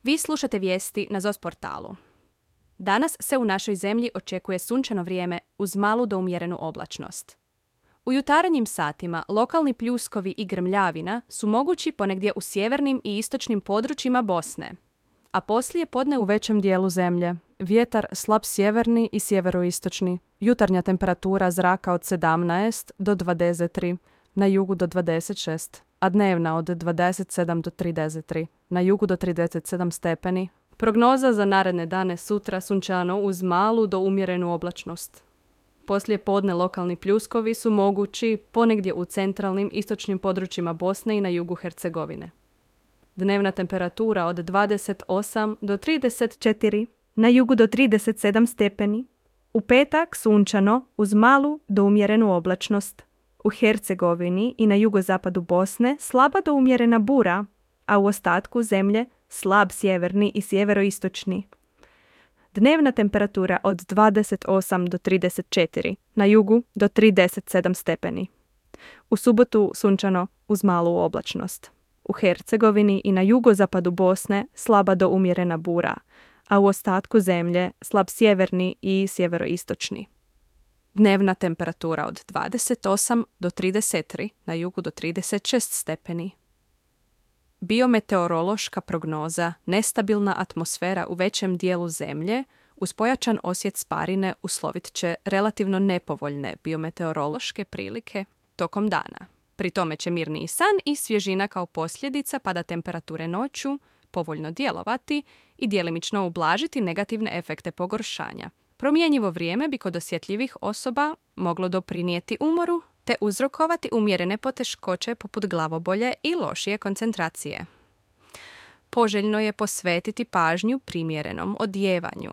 Vi slušate vijesti na ZOS portalu. Danas se u našoj zemlji očekuje sunčano vrijeme uz malu do umjerenu oblačnost. U jutarnjim satima lokalni pljuskovi i grmljavina su mogući ponegdje u sjevernim i istočnim područjima Bosne, a poslije podne u većem dijelu zemlje. Vjetar slab sjeverni i sjeveroistočni. Jutarnja temperatura zraka od 17 do 23, na jugu do 26, a dnevna od 27 do 33, na jugu do 37 stepeni. Prognoza za naredne dane: sutra sunčano uz malu do umjerenu oblačnost. Poslije podne lokalni pljuskovi su mogući ponegdje u centralnim istočnim područjima Bosne i na jugu Hercegovine. Dnevna temperatura od 28 do 34, na jugu do 37 stepeni. U petak sunčano uz malu do umjerenu oblačnost. U Hercegovini i na jugozapadu Bosne slaba do umjerena bura, a u ostatku zemlje slab sjeverni i sjeveroistočni. Dnevna temperatura od 28 do 34, na jugu do 37 stepeni. U subotu sunčano uz malu oblačnost. U Hercegovini i na jugozapadu Bosne slaba do umjerena bura, a u ostatku zemlje slab sjeverni i sjeveroistočni. Dnevna temperatura od 28 do 33, na jugu do 36 stepeni. Biometeorološka prognoza: nestabilna atmosfera u većem dijelu zemlje uz pojačan osjet sparine uslovit će relativno nepovoljne biometeorološke prilike tokom dana. Pri tome će mirniji san i svježina kao posljedica pada temperature noću povoljno djelovati i djelimično ublažiti negativne efekte pogoršanja. Promjenjivo vrijeme bi kod osjetljivih osoba moglo doprinijeti umoru te uzrokovati umjerene poteškoće poput glavobolje i lošije koncentracije. Poželjno je posvetiti pažnju primjerenom odjevanju.